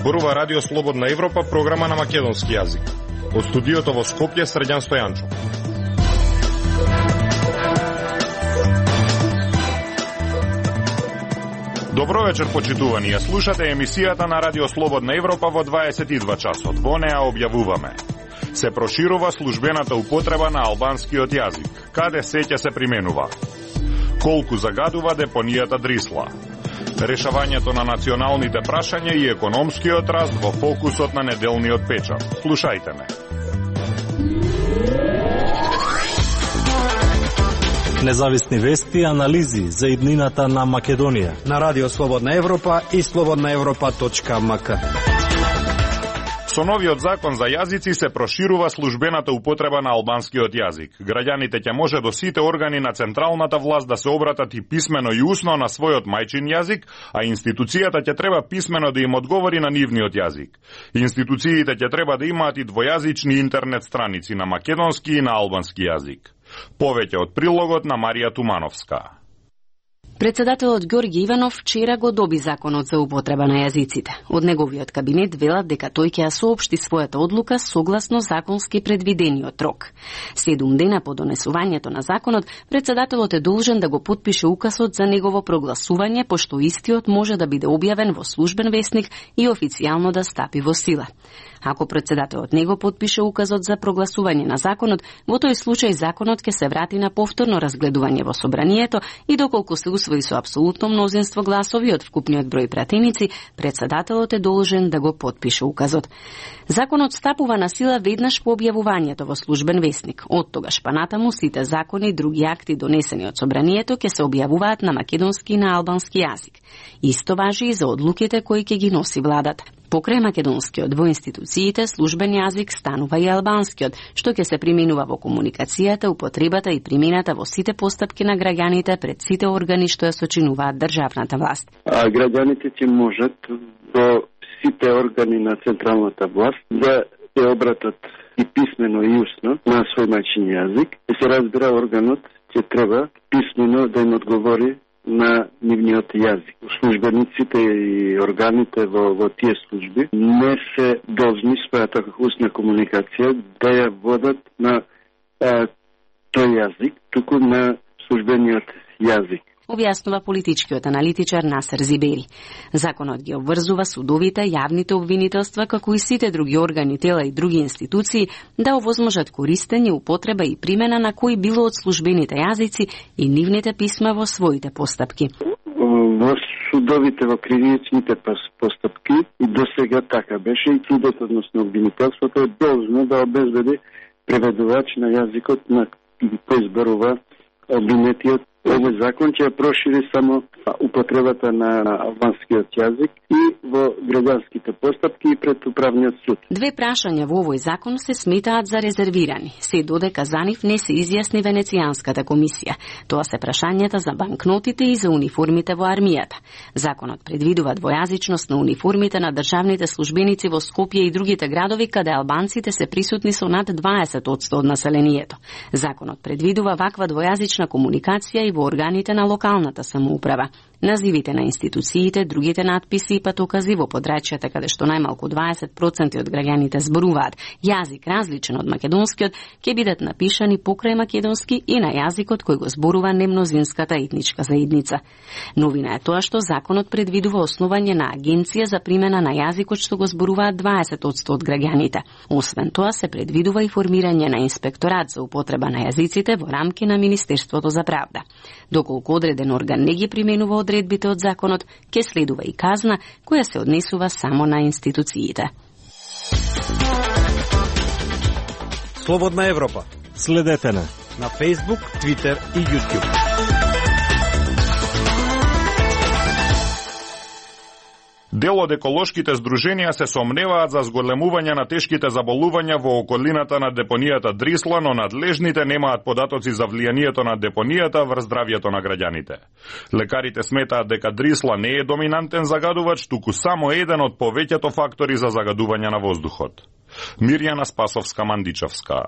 Зборува Радио Слободна Европа, програма на македонски јазик. Од студиото во Скопје, Срđan Стојанчов. Добро вечер, почитувани. Ја слушате емисијата на Радио Слободна Европа во 22 часот. Во неа објавуваме: се проширува службената употреба на албанскиот јазик. Каде сеќа се применува? Колку загадува депонијата Дрисла? Решавањето на националните прашања и економскиот раст во фокусот на неделниот печат. Слушајте ме. Независни вести и анализи за иднината на Македонија на Радио Слободна Европа и slobodnaevropa.mk. Со новиот закон за јазици се проширува службената употреба на албанскиот јазик. Граѓаните ќе може до сите органи на централната власт да се обратат и писмено и усно на својот мајчин јазик, а институцијата ќе треба писмено да им одговори на нивниот јазик. Институциите ќе треба да имаат и двојазични интернет страници на македонски и на албански јазик. Повеќе од прилогот на Марија Тумановска. Председателот Ѓорѓе Иванов вчера го доби законот за употреба на јазиците. Од неговиот кабинет велат дека тој ќе ја соопшти својата одлука согласно законски предвидениот рок. 7 дена по донесувањето на законот, председателот е должен да го потпише указот за негово прогласување, пошто истиот може да биде објавен во службен весник и официјално да стапи во сила. Ако председателот не го потпише указот за прогласување на законот, во тој случај законот ќе се врати на повторно разгледување во собранието и доколку се усвои со апсолутно мнозинство гласови од вкупниот број пратеници, председателот е должен да го потпише указот. Законот стапува на сила веднаш по објавувањето во службен весник. Од тогаш па натаму сите закони и други акти донесени од собранието ќе се објавуваат на македонски и на албански јазик. Исто важи и за одлуките кои ќе ги носи владата. Покрај македонскиот во институциите, службен јазик станува и албанскиот, што ќе се применува во комуникацијата, употребата и примената во сите постапки на граѓаните пред сите органи што ја сочинуваат државната власт. А граѓаните ќе можат до сите органи на централната власт да се обратат и писмено и усно на свој мајчин јазик. И се разбира, органот ќе треба писмено да им одговори на нивниот јазик. Службениците и органите во тие служби не се должни својата устна комуникација да ја водат на тој јазик, туку на службениот јазик. Објаснува политичкиот аналитичар Насер Зибери. Законот ги обврзува судовите, јавните обвинителства, како и сите други органи, тела и други институции да овозможат користење, употреба и примена на кои било од службените јазици и нивните писма во своите постапки. Во судовите, во кривичните постапки и до сега така беше и судот, односно обвинителството е должно да обезбеди преведувач на јазикот на кој зборува обвинетиот. Овој закон ќе прошири само употребата на албанскиот јазик и во граѓанските постапки и пред управниот суд. Две прашања во овој закон се сметаат за резервирани, се додека за нив не се изјасни Венецијанската комисија. Тоа се прашањата за банкнотите и за униформите во армијата. Законот предвидува двојазичност на униформите на државните службеници во Скопје и другите градови каде албанците се присутни со над 20% од населението. Законот предвидува ваква двојазична комуникација и во органите на локалната самоуправа. Називите на институциите, другите надписи и патокази во подрачјата каде што најмалку 20% од граѓаните зборуваат јазик различен од македонскиот, ќе бидат напишани покрај македонски и на јазикот кој го зборува немнозинската етничка заедница. Новина е тоа што законот предвидува основање на агенција за примена на јазикот што го зборуваат 20% од граѓаните. Освен тоа се предвидува и формирање на инспекторат за употреба на јазиците во рамки на Министерството за правда. Доколку одреден орган не ги применува одредбите од законот, ќе следува и казна која се однесува само на институциите. Слободна Европа. Следете на Facebook, Twitter и YouTube. Дел од еколошките здруженија се сомневаат за зголемување на тешките заболувања во околината на депонијата Дрисла, но надлежните немаат податоци за влијанието на депонијата врз здравјето на граѓаните. Лекарите сметаат дека Дрисла не е доминантен загадувач, туку само еден од повеќето фактори за загадување на воздухот. Мирјана Спасовска-Мандичевска.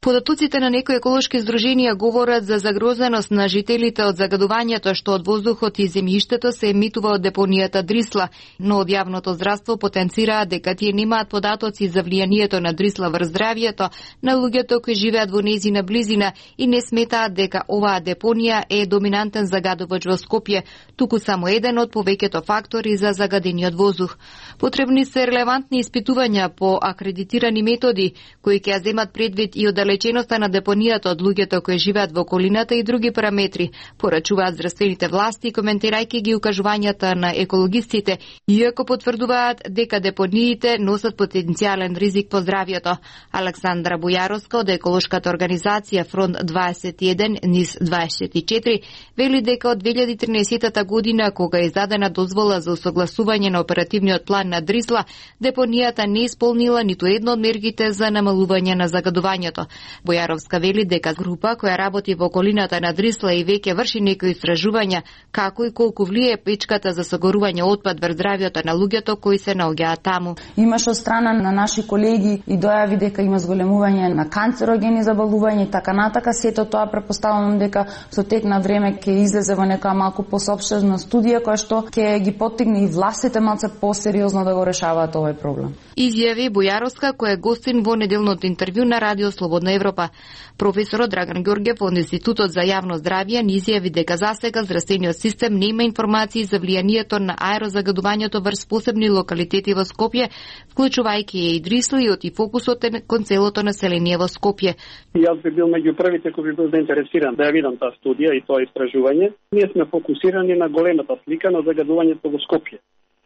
Податоците на некои еколошки здруженија говорат за загрозеност на жителите од загадувањето што од воздухот и земјиштето се емитува од депонијата Дрисла, но од јавното здравство потенцираат дека тие немаат податоци за влијанието на Дрисла врз здравјето на луѓето кои живеат во нејзина близина и не сметаат дека оваа депонија е доминантен загадувач во Скопје, туку само еден од повеќето фактори за загадениот воздух. Потребни се релевантни испитувања по акредитирани методи кои ќе ја земат предвид и оддалеченоста на депонијата од луѓето кои живеат во околината и други параметри, порачуваат здравствените власти, коментирајќи ги укажувањата на екологистите, иако потврдуваат дека депониите носат потенцијален ризик по здравјето. Александра Бојаровска од еколошката организација Фронт 21 низ 24 вели дека од 2013 година, кога е издадена дозвола за усогласување на оперативниот план на Дрисла, депонијата не исполнила ниту едно од мерките за намалување на загадувањето. Бојаровска вели дека група која работи во околината на Дрисла и веќе врши некои истражувања како и колку влие печката за согорување отпад врз здравјето на луѓето кои се наоѓаат таму. Имаш од страна на наши колеги и дојави дека има зголемување на канцерогени заболувања и така натака. Сето тоа претпоставувам дека со тек на време ќе излезе во нека малку посопштежна студија која што ќе ги поттигне и властите малце посериозно да го решаваат овој проблем. Изјави Бојаровска, која е гостин во неделното интервју на Радио Слободна Европа. Професорот Драган Ѓорѓев од Институтот за јавно здравје ни изјави дека засега здравствениот систем не има информации за влијанието на аерозагадувањето врз посебни локалитети во Скопје, вклучувајќи и Дрисла, и оти фокусот е кон целото население во Скопје. Јас би бил меѓу првите кои би бил заинтересиран да ја видам таа студија и тоа истражување. Ние сме фокусирани на големата слика на загадувањето во Скопје.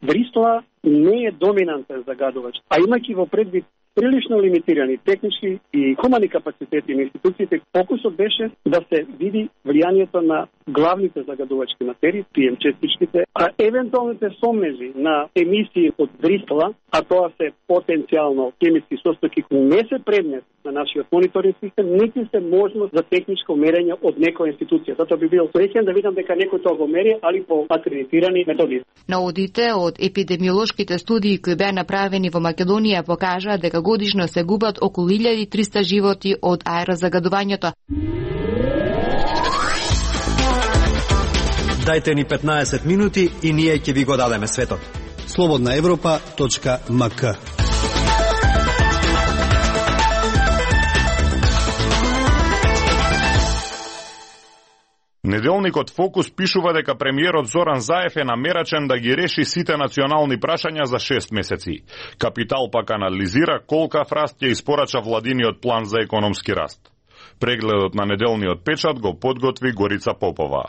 Дрисла не е доминантен загадувач, а имајќи во предвид прилично лимитирани технички и хумани капацитети на институциите, фокусот беше да се види влијанието на главните загадувачки материи, PM частичките, а евентуалните сомнежи на емисии од Дрисла, а тоа се потенцијално хемиски состојки кои не се предмет на нашиот мониторинг систем, нити се можност за техничко мерење од некоја институција. Затоа би бил среќен да видам дека некој тоа го мери, али по акредитирани методи. Наудите од епидемиолошките студии кои беа направени во Македонија покажаа дека годишно се губат околу 1300 животи од аерозагадувањето. Дајте ни 15 минути и ние ќе ви го дадеме светот. slobodnaevropa.mk. Неделникот Фокус пишува дека премиерот Зоран Заев е намерачен да ги реши сите национални прашања за 6 месеци. Капитал пак анализира колкав раст ќе испорача владиниот план за економски раст. Прегледот на неделниот печат го подготви Горица Попова.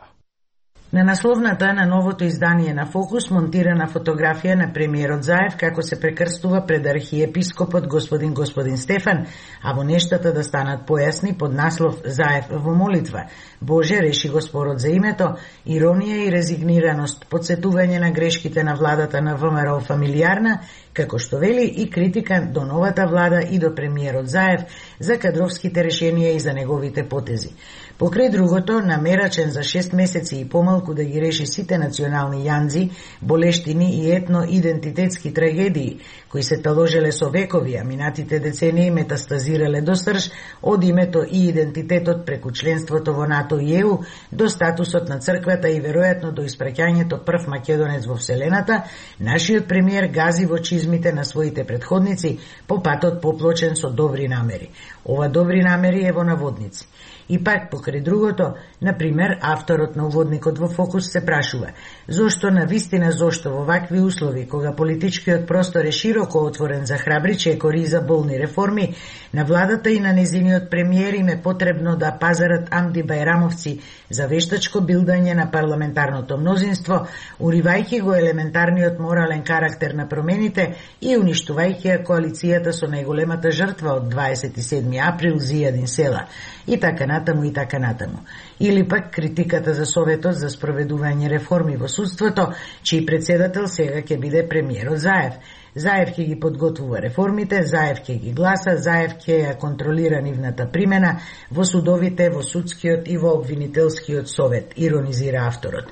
На насловната на новото издание на Фокус монтирана фотографија на премиерот Заев како се прекрстува пред архиепископот господин Стефан, а во нештата да станат појасни под наслов Заев во молитва. Боже, реши го спорот за името, иронија и резигнираност, подсетување на грешките на владата на ВМРО фамилиарна, како што вели и критика до новата влада и до премиерот Заев за кадровските решенија и за неговите потези. Покрај другото, намерачен за 6 месеци и помалку да ги реши сите национални јанзи, болештини и етно-идентитетски трагедии, кои се таложеле со векови, а минатите децении метастазирале до срж од името и идентитетот преку членството во НАТО и ЕУ до статусот на црквата и веројатно до испраќањето прв македонец во Вселената, нашиот премиер гази во чизмите на своите предходници по патот поплочен со добри намери. Ова добри намери е во наводници. И пак, покрај другото, например, авторот на уводникот во Фокус се прашува зошто во вакви услови, кога политичкиот простор е широко отворен за храбри чекори и за болни реформи, на владата и на незиниот премиер им е потребно да пазарат Амди Бајрамовци за вештачко билдање на парламентарното мнозинство, уривајќи го елементарниот морален карактер на промените и уништувајќи ја коалицијата со најголемата жртва од 27 април Зијадин Села. И така натаму, и така натаму. Или пак критиката за Советот за спроведување реформи во судството, чиј председател сега ќе биде премиерот Заев. Заев ќе ги подготвува реформите, Заев ќе ги гласа, Заев ќе ја контролира нивната примена во судовите, во судскиот и во обвинителскиот совет, иронизира авторот.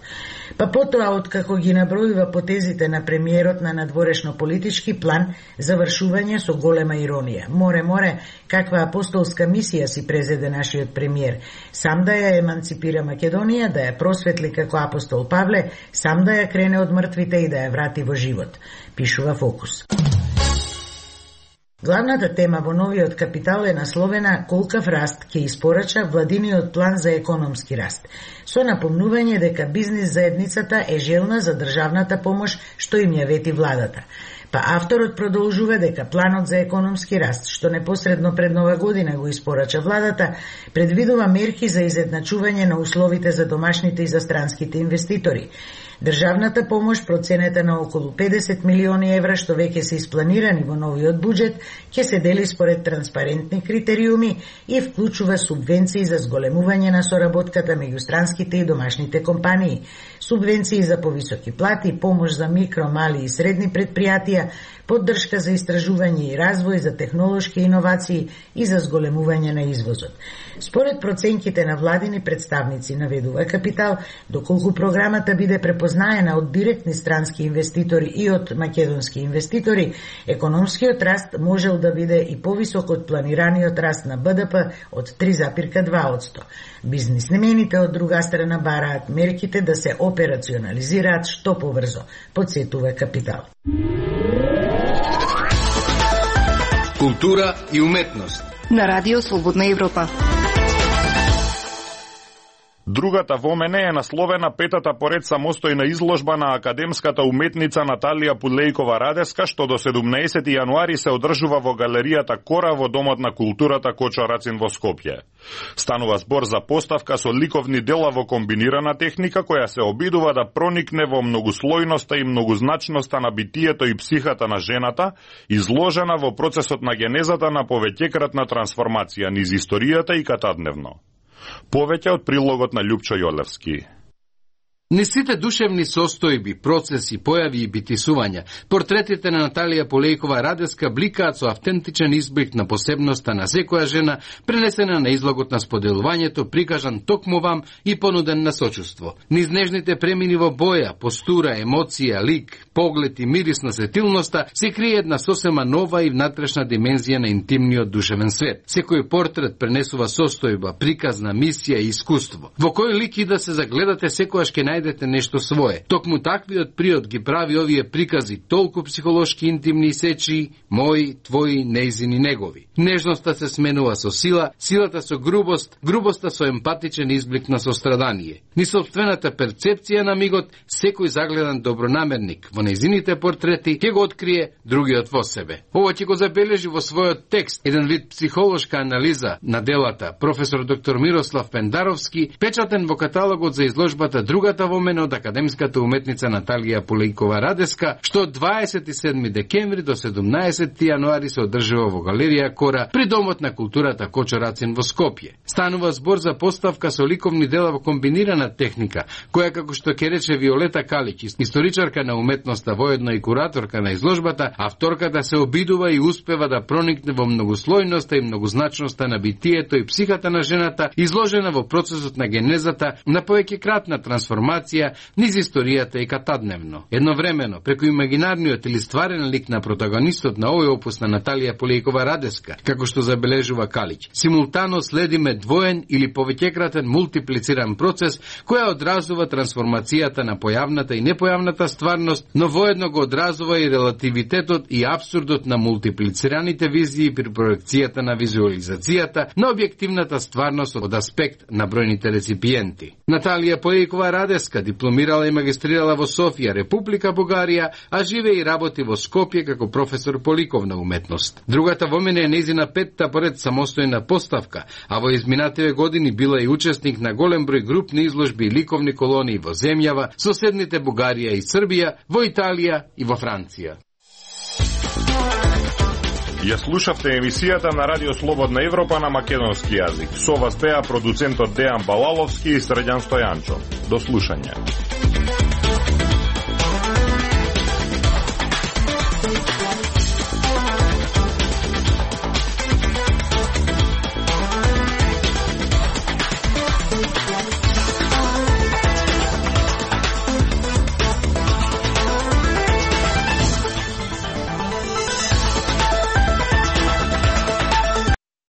Па потоа, откако ги набројува потезите на премиерот на надворешно политички план, завршување со голема иронија. Море, каква апостолска мисија си презеде нашиот премиер. Сам да ја еманципира Македонија, да ја просветли како апостол Павле, сам да ја крене од мртвите и да ја врати во живот, пишува Фокус. Главната тема во новиот капитал е насловена колкав раст ќе испорача владиниот план за економски раст, со напомнување дека бизнис заедницата е желна за државната помош што им ја вети владата. Па авторот продолжува дека планот за економски раст, што непосредно пред Нова година го испорача владата, предвидува мерки за изедначување на условите за домашните и за странските инвеститори. Државната помош, проценета на околу 50 милиони евра, што веќе се испланирани во новиот буџет, ќе се дели според транспарентни критериуми и вклучува субвенции за зголемување на соработката меѓу странските и домашните компании, субвенции за повисоки плати, помош за микро, мали и средни предпријатија, поддршка за истражување и развој, за технолошки иновации и за зголемување на извозот. Според проценките на владини представници, наведува Капитал, доколку програмата биде препознаена од директни странски инвеститори и од македонски инвеститори, економскиот раст можел да биде и повисок од планираниот раст на БДП од 3,2%. Бизнисмените од друга страна бараат мерките да се операционализираат што побрзо, подсетува Капитал. Култура и уметност на Радио Слободна Европа. Другата во мене е насловена петата поред самостојна изложба на академската уметница Наталија Пулејкова-Радеска, што до 17 јануари се одржува во галеријата Кора во Домот на културата Кочо Рацин во Скопје. Станува збор за поставка со ликовни дела во комбинирана техника, која се обидува да проникне во многуслојноста и многузначноста на битието и психата на жената, изложена во процесот на генезата на повеќекратна трансформација низ историјата и катадневно. Повеќе од прилогот на Љупчо Јолевски. Низ сите душевни состојби, процеси, појави и битисувања, портретите на Наталија Пулејкова-Радеска бликаат со автентичен избрик на посебноста на секоја жена, пренесена на излогот на споделувањето, прикажан токму вам и понуден на сочувство. Низ нежните премини во боја, постура, емоција, лик, поглед и мирис на сетилноста се крие една сосема нова и внатрешна димензија на интимниот душевен свет. Секој портрет пренесува состојба, приказна, мисија и искуство. Во кој лик и да се загледате, секојаш ќе најдете нешто свое. Токму таквиот приод ги прави овие прикази толку психолошки интимни и сечи, мои, твои, нејзини, негови. Нежноста се сменува со сила, силата со грубост, грубоста со емпатичен изблик на сострадание. Ни собствената перцепција на мигот, секој загледан добронамерник во нејзините портрети ќе го открие другиот во себе. Ова ќе го забележи во својот текст еден вид психолошка анализа на делата професор доктор Мирослав Пендаровски, печатен во каталогот за изложбата Другата во мене од академската уметница Наталија Пулејкова-Радеска, што од 27 декември до 17 јануари се одржува во галерија Кора при Домот на културата Кочо Рацин во Скопје. Станува збор за поставка со ликовни дела во комбинирана техника, која, како што ќе рече Виолета Калич, историчарка на уметноста, воедно и кураторка на изложбата, авторката се обидува и успева да проникне во многуслојноста и многузначноста на битието и психата на жената, изложена во процесот на генезата на повеќекратна трансформација низ историјата и катадневно. Едновремено, преку имагинарниот или стварен лик на протагонистот на овој опус на Наталија Пулејкова-Радеска, како што забележува Калич, симултано следиме двоен или повеќекратен мултиплициран процес која одразува трансформацијата на појавната и непојавната стварност, но воедно го одразува и релативитетот и абсурдот на мултиплицираните визии при проекцијата на визуализацијата на објективната стварност од аспект на бројните реципиенти. Наталија Пулејкова-Радеска дипломирала и магистрирала во Софија, Република Бугарија, а живее и работи во Скопје како професор по ликовна уметност. Другата во мене е нејзина петта поред самостојна поставка, а во изминативе години била и учесник на голем број групни изложби и ликовни колонии во земјава, соседните Бугарија и Србија, во Италија и во Франција. Ја слушавте емисијата на Радио Слободна Европа на македонски јазик. Со вас беа продуцентот Дејан Балаловски и Срđan Стојанчов. До слушање.